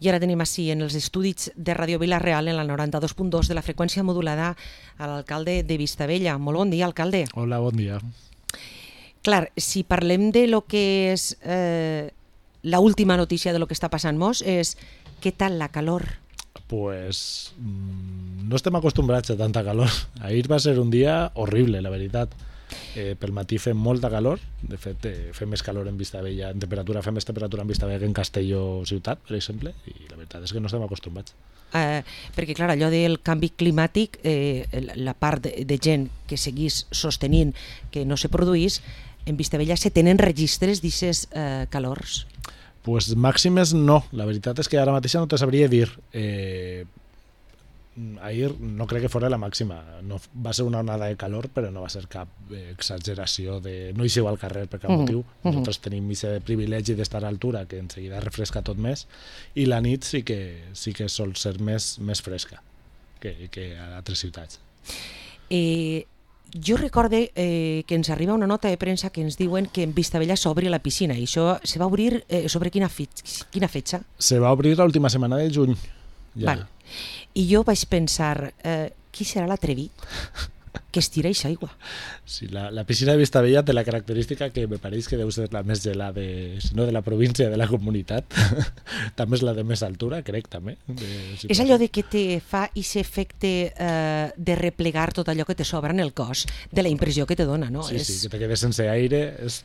I ara tenim així en els estudis de Ràdio Vila-real, en la 92.2 de la freqüència modulada, a l'alcalde de Vistabella. Molt bon dia, alcalde. Hola, bon dia. Clar, si parlem de lo que és la última notícia de lo que està passant-nos, és què tal la calor? Pues no estem acostumbrats a tanta calor. Ahir va ser un dia horrible, la veritat. Pel matí fem molta calor, de fet fem més calor en Vistabella, en temperatura, fem més temperatura en Vistabella que en Castelló ciutat, per exemple, i la veritat és que no estem acostumbrats. Perquè clar, allò del canvi climàtic, la part de gent que seguís sostenint que no se produís, en Vistabella se tenen registres d'aquestes calors? Pues màximes no, la veritat és que ara mateix no te sabria dir. Ahir no crec que fos la màxima, no, va ser una onada de calor, però no va ser cap exageració de no eixeu al carrer per cap motiu. Nosaltres tenim aquest privilegi d'estar a altura, que en seguida refresca tot més, i la nit sí que sol ser més fresca que a altres ciutats. Jo recorde que ens arriba una nota de premsa que ens diuen que en Vistabella s'obri la piscina, i això se va obrir sobre quina fetxa? Se va obrir l'última setmana de juny. Ja. Val. I jo vaig pensar, qui serà l'atrevit que estira eixa aigua? Sí, la piscina de Vistabella té la característica que me pareix que deu ser la més gelada, si no de la província, de la comunitat. També és la de més altura, crec, també. És allò de que te fa aquest efecte de replegar tot allò que te sobra en el cos, de la impressió que te dona, no? Sí, que te quedes sense aire. És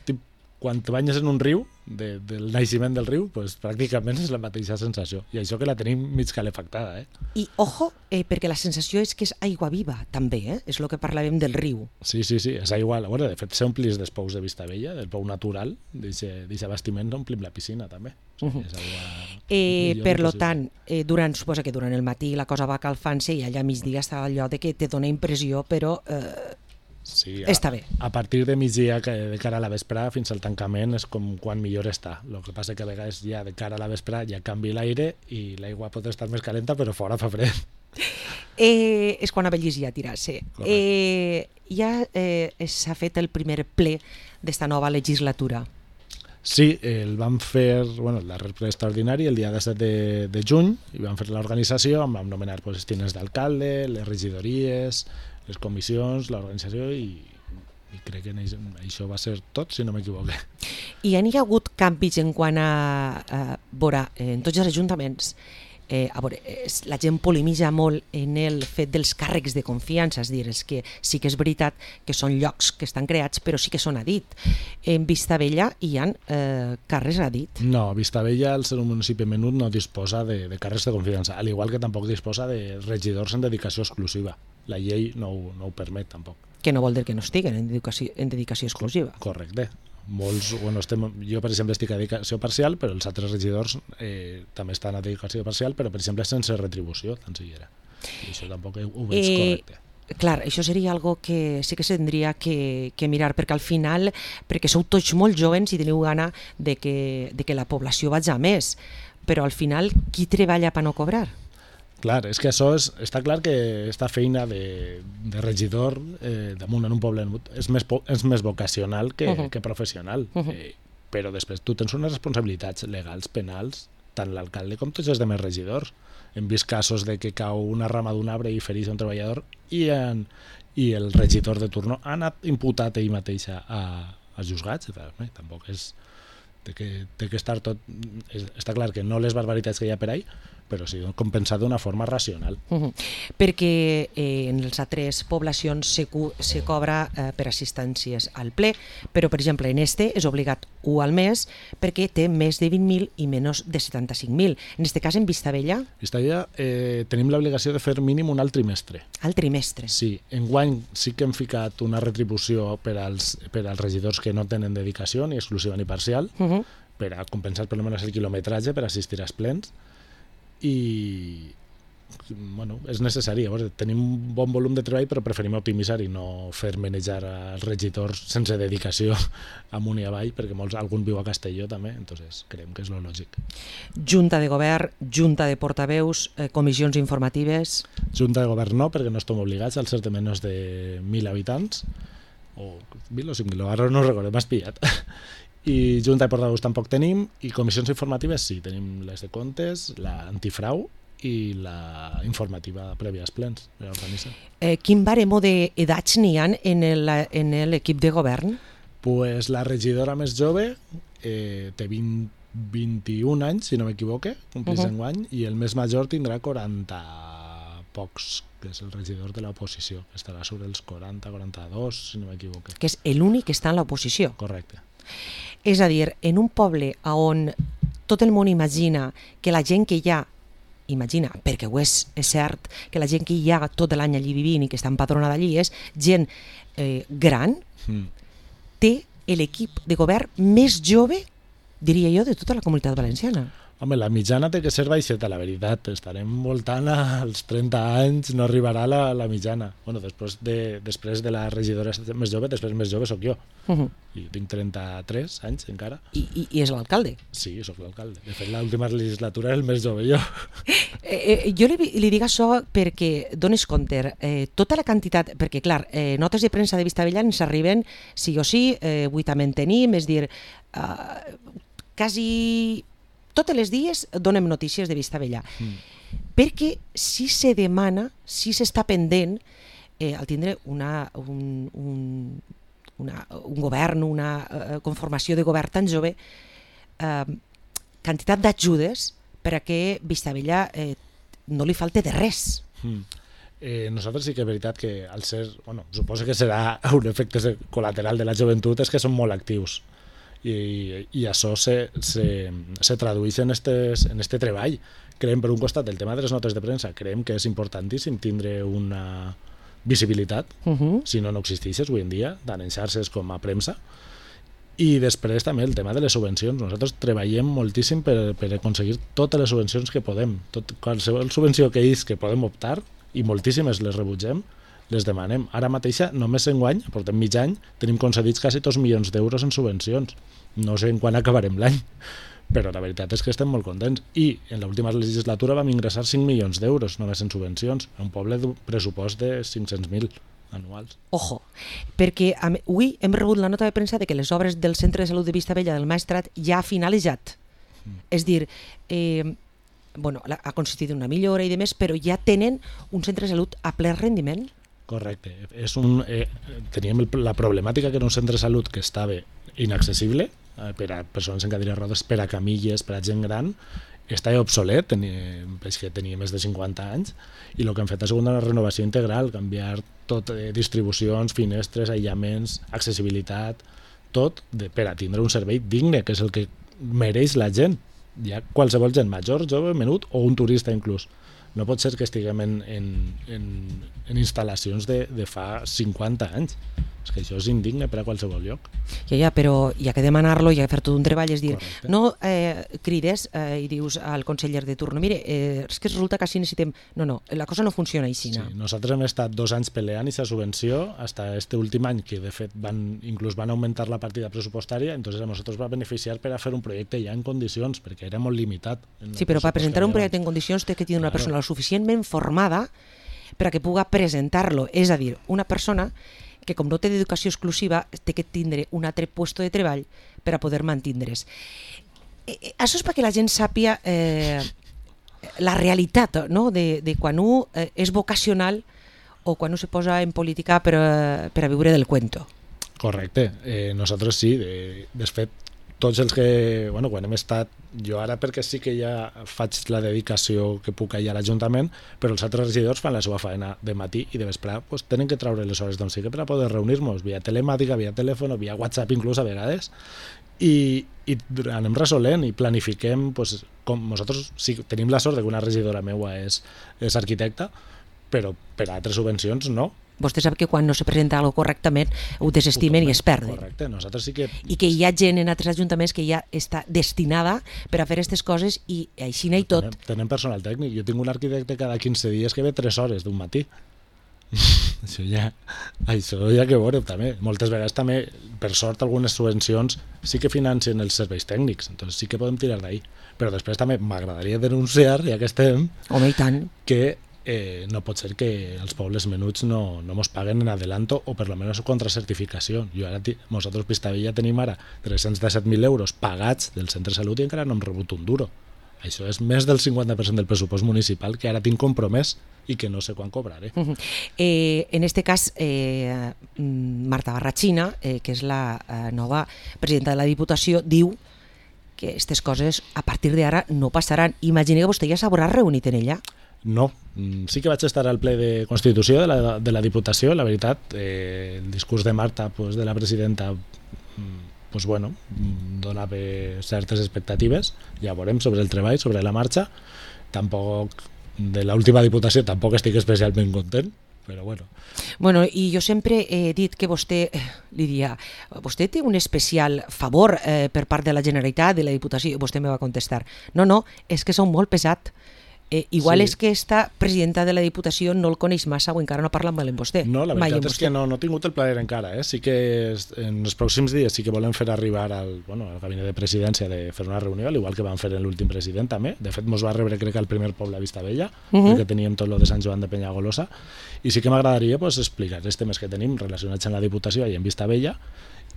quan te banyes en un riu, del naixement del riu, pues, pràcticament és la mateixa sensació. I això que la tenim mig calefactada. I ojo, perquè la sensació és que és aigua viva, també, és el que parlàvem del riu. Sí, és aigua. Bueno, de fet, s'omplis dels pous de Vistabella, del pou natural, d'aquest bastiment, omplim la piscina, també. És aigua... Per tant, suposa que durant el matí la cosa va calfant-se i allà a migdia està allò de que te dona impressió, però... Sí, està bé. A partir de migdia, de cara a la vesprada, fins al tancament, és com quan millor està. El que passa que a vegades ja de cara a la vesprada ja canvi l'aire i l'aigua pot estar més calenta, però fora fa fred. És quan a Bellís ja tirar-se. Ja s'ha fet el primer ple d'esta nova legislatura. Sí, el vam fer, el darrer ple extraordinari el dia 17 de juny, i vam fer l'organització, vam nomenar els tinents d'alcalde, les regidories, les comissions, l'organització, i crec que això va ser tot, si no m'equivoque. I hi ha hagut canvis en quant a veure, en tots els ajuntaments, la gent polemitza molt en el fet dels càrrecs de confiança, és a dir, que sí que és veritat que són llocs que estan creats, però sí que són a dit. En Vistabella hi ha càrrecs a dit? No, Vistabella, al ser un municipi menut, no disposa de càrrecs de confiança, al igual que tampoc disposa de regidors en dedicació exclusiva. La llei no ho permet, tampoc. Que no vol dir que no estiguen en dedicació exclusiva. Correcte. Jo, per exemple, estic a dedicació parcial, però els altres regidors també estan a dedicació parcial, però, per exemple, sense retribució, tan siquiera. I això tampoc ho veig correcte. Clar, això seria algo que sí que s'hauria que mirar, perquè al final, perquè sou tots molt joves i teniu gana de que la població vagi a més, però al final, qui treballa per no cobrar? Clar, és que això està clar que aquesta feina de regidor damunt en un poble és més vocacional que professional, però després tu tens unes responsabilitats legals, penals, tant l'alcalde com tots els demés regidors. Hem vist casos de que cau una rama d'un arbre i fereix un treballador i el regidor de turno ha anat imputat ell mateix als juzgats. Tampoc és... Té que estar tot... Està clar que no les barbaritats que hi ha per ahí, però sí compensar d'una forma racional. Perquè en les altres poblacions se cobra per assistències al ple, però per exemple en este és obligat 1 al mes perquè té més de 20.000 i menys de 75.000. En este cas en Vistabella? Vistabella tenim l'obligació de fer mínim un al trimestre. Al trimestre? Sí, enguany sí que hem ficat una retribució per als regidors que no tenen dedicació ni exclusiva ni parcial, per a compensar per almenys el quilometratge per assistir als plens, i és necessari. Tenim un bon volum de treball, però preferim optimitzar i no fer manejar als regidors sense dedicació amunt i avall, perquè algun viu a Castelló també, entonces creiem que és lo lògic. Junta de govern, junta de portaveus, comissions informatives? Junta de govern no, perquè no estem obligats al ser de menys de 1.000 habitants, o 1.000 o 5.000, ara no recordo, m'has pillat. i Junta de Portaveus tampoc tenim, i comissions informatives sí, tenim les de comptes, l'antifrau i la informativa prèvia als plens de l'organisme. Quin baremo d'edats n'hi ha en l'equip de govern? Pues la regidora més jove té 21 anys, si no m'equivoque, complís enguany, i el més major tindrà 40 pocs, que és el regidor de l'oposició, que estarà sobre els 40, 42, si no m'equivoque. Que és l'únic que està en l'oposició. Correcte. És a dir, en un poble on tot el món imagina que la gent que hi ha, imagina, perquè ho és cert, que la gent que hi ha tot l'any allí vivint i que està empadronada allí és gent gran, té l'equip de govern més jove, diria jo, de tota la Comunitat Valenciana. Home, la mitjana té que ser baixeta, la veritat. Estarem voltant als 30 anys, no arribarà la mitjana. Bueno, després de la regidora més jove, després més jove sóc jo. I tinc 33 anys encara. I és l'alcalde? Sí, sóc l'alcalde. De fet, l'última legislatura és el més jove jo. Jo li dic això perquè dones compte, tota la quantitat, perquè clar, notes de premsa de Vistabella ens arriben sí o sí, avui també en tenim, és dir, quasi totes les dies donem notícies de Vistabella, perquè si se demana, si s'està pendent al tindre un govern, una conformació de govern tan jove, quantitat d'ajudes per a que Vistabella no li falte de res. Nosaltres sí que és veritat que al ser, suposo que serà un efecte col·lateral de la joventut, és que són molt actius. I això se tradueix en este treball. Creiem, per un costat, el tema de les notes de premsa, creiem que és importantíssim tindre una visibilitat, si no existeixes avui en dia, tant en xarxes com a premsa. I després també el tema de les subvencions. Nosaltres treballem moltíssim per aconseguir totes les subvencions que podem. Qualsevol subvenció que podem optar, i moltíssimes les rebutgem, les demanem. Ara mateixa, només enguany, portem mig any, tenim concedits quasi 2 milions d'euros en subvencions. No sé en quan acabarem l'any, però la veritat és que estem molt contents. I en l'última legislatura vam ingressar 5 milions d'euros només en subvencions, a un poble d'un pressupost de 500.000 anuals. Ojo, perquè avui hem rebut la nota de premsa de que les obres del Centre de Salut de Vistabella del Maestrat ja ha finalitzat. És dir, ha consistit en una millora i demés, però ja tenen un centre de salut a ple rendiment. Correcte. Teníem la problemàtica que era un centre de salut que estava inaccessible per a persones en cadira de rodes, per a camilles, per a gent gran, estava obsolet, que tenia més de 50 anys, i el que hem fet ha sigut una renovació integral, canviar tot, distribucions, finestres, aïllaments, accessibilitat, tot per a tindre un servei digne, que és el que mereix la gent, ja qualsevol gent, major, jove, menut o un turista inclús. No pot ser que estiguem en instal·lacions de fa 50 anys. És que això és indigne per a qualsevol lloc. Ja, però hi ha que demanar-lo, hi ha que fer tot un treball, és dir, correcte. No crides i dius al conseller de turno, mire, és que resulta que així necessitem... No, la cosa no funciona així. Sí, nosaltres hem estat 2 anys peleant aquesta subvenció, hasta este últim any, que de fet inclús van augmentar la partida pressupostària, entonces a nosaltres va beneficiar per a fer un projecte ja en condicions, perquè era molt limitat. Sí, però per presentar un projecte en condicions té que tenir una persona lo suficientment formada per a que puga presentar-lo. És a dir, una persona que com no té d'educació exclusiva té que tindre un altre puesto de treball per a poder mantindre's. Això és perquè la gent sàpia la realitat, no? de quan un és vocacional o quan un se posa en política per a viure del cuento. Correcte. Nosaltres sí, de fet, tots els que, quan hem estat, jo ara perquè sí que ja faig la dedicació que puc allà a l'Ajuntament, però els altres regidors fan la seva feina de matí i de vespre, tenen que treure les hores d'on sigui per a poder reunir-nos, via telemàtica, via telèfon, via WhatsApp inclús a vegades, i anem resolent i planifiquem, com nosaltres sí, tenim la sort que una regidora meua és arquitecta, però per a altres subvencions no. Vostè sap que quan no se presenta alguna correctament ho desestimen i es perden. Correcte, nosaltres sí que... I que hi ha gent en altres ajuntaments que ja està destinada per a fer aquestes coses i així n'hi tot. Tenen personal tècnic. Jo tinc un arquitecte cada 15 dies que ve 3 hores d'un matí. Això ja que veureu també. Moltes vegades també, per sort, algunes subvencions sí que financen els serveis tècnics, entonces sí que podem tirar d'ahí. Però després també m'agradaria denunciar, ja que estem, home, i tant, que no pot ser que els pobles menuts no mos paguen en adelanto o per lo menos contra certificació. Nosaltres Vistabella tenim ara 317.000 euros pagats del centre de salut i encara no hem rebut un duro. Això és més del 50% del pressupost municipal que ara tinc compromès i que no sé quan cobraré. En este cas, Marta Barrachina, que és la nova presidenta de la Diputació, diu que aquestes coses a partir d'ara no passaran. Imagina que vostè ja s'haurà reunit en ella. No, sí que vaig estar al ple de Constitució de la Diputació. La veritat, el discurs de Marta, de la presidenta, donava certes expectatives. Ja veurem sobre el treball, sobre la marxa. Tampoc, de l'última Diputació, tampoc estic especialment content, però bueno. Bueno, i jo sempre he dit que vostè, vostè té un especial favor per part de la Generalitat, de la Diputació, i vostè me va contestar, no, és que són molt pesat. Igual és que esta presidenta de la Diputació no el coneix massa o encara no parla amb vostè. No, la veritat és que no he tingut el plaer encara. Sí que en els pròxims dies sí que volem fer arribar al gabinet de presidència de fer una reunió, igual que van fer en l'últim president també. De fet, mos va rebre crec que al primer poble a Vistabella, perquè teníem tot lo de Sant Joan de Penyagolosa, i sí que m'agradaria explicar els temes que tenim relacionats amb la Diputació i en Vistabella,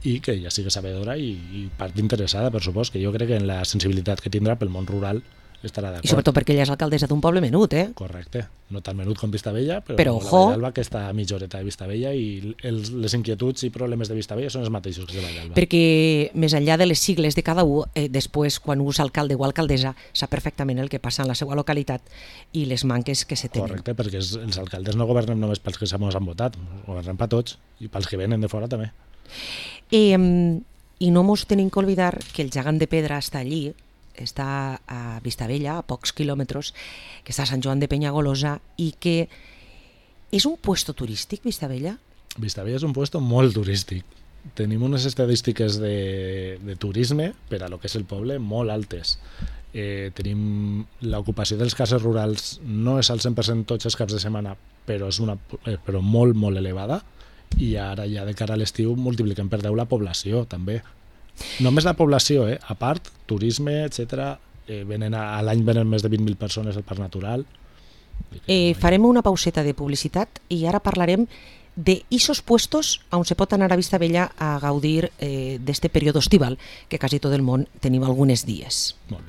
i que ja sigui sabedora i part interessada, per supost, que jo crec que en la sensibilitat que tindrà pel món rural estarà d'acord. I sobretot perquè ella és alcaldessa d'un poble menut, Correcte, no tan menut com Vistabella, però la Vallalba, que està a mitja horeta de Vistabella, i les inquietuds i problemes de Vistabella són els mateixos que de Vallalba. Perquè més enllà de les sigles de cada un, després, quan un és alcalde o alcaldessa, sap perfectament el que passa en la seva localitat i les manques que se tenen. Correcte, perquè els alcaldes no governem només pels que ens han votat, governem per tots, i pels que venen de fora també. I no mos tenim que oblidar que el gegant de pedra està allí, està a Vistabella, a pocs quilòmetres, que està a Sant Joan de Penyagolosa, i que és un puesto turístic, Vistabella? Vistabella és un puesto molt turístic. Tenim unes estadístiques de turisme per a lo que és el poble molt altes. Tenim l'ocupació dels cases rurals, no és al 100% tots els caps de setmana, però és però molt, molt elevada, i ara ja de cara a l'estiu multipliquem per 10 la població també. Només la població, a part, turisme, etc. A l'any venen més de 20.000 persones al Parc Natural. Farem una pauseta de publicitat i ara parlarem d'esos puestos on se pot anar a Vistabella a gaudir d'este període estival que quasi tot el món tenim alguns dies. Molt bé.